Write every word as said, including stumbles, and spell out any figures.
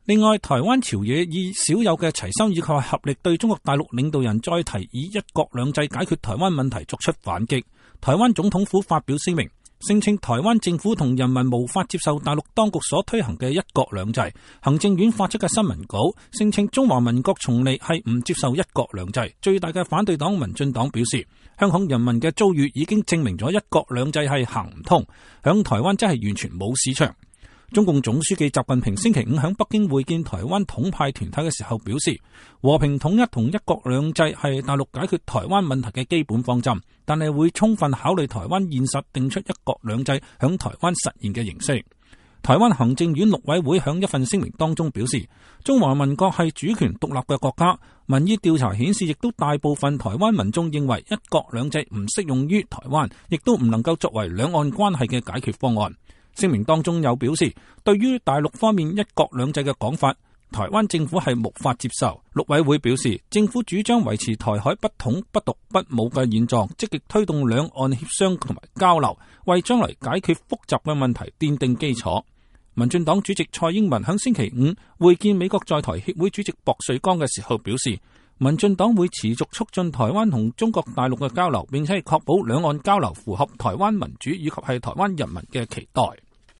另外，台灣朝野以少有嘅齊心以及合力對中國大陸領導人再提以一國兩制解決台灣問題作出反擊。台灣總統府發表聲明，聲稱台灣政府同人民無法接受大陸當局所推行嘅一國兩制。行政院發出嘅新聞稿聲稱中華民國從嚟係唔接受一國兩制。最大嘅反對黨民進黨表示，香港人民嘅遭遇已經證明咗一國兩制係行唔通，響台灣真係完全冇市場。中共總書記習近平星期五喺北京會見台灣統派團體嘅時候表示，和平統一同一國兩制係大陸解決台灣問題嘅基本方針，但係會充分考慮台灣現實，定出一國兩制響台灣實現嘅形式。台灣行政院陸委會響一份聲明當中表示，中華民國係主權獨立嘅國家，民意調查顯示亦都大部分台灣民眾認為一國兩制唔適用於台灣，亦都唔能夠作為兩岸關係嘅解決方案。聲明當中有表示，對於大陸方面一國兩制嘅講法，台灣政府係無法接受。陸委會表示，政府主張維持台海不統不獨不武嘅現狀，積極推動兩岸協商同埋交流，為將來解決複雜嘅問題奠定基礎。民進黨主席蔡英文喺星期五會見美國在台協會主席薄瑞剛嘅時候表示，民進黨會持續促進台灣同中國大陸嘅交流，並且係確保兩岸交流符合台灣民主以及係台灣人民嘅期待。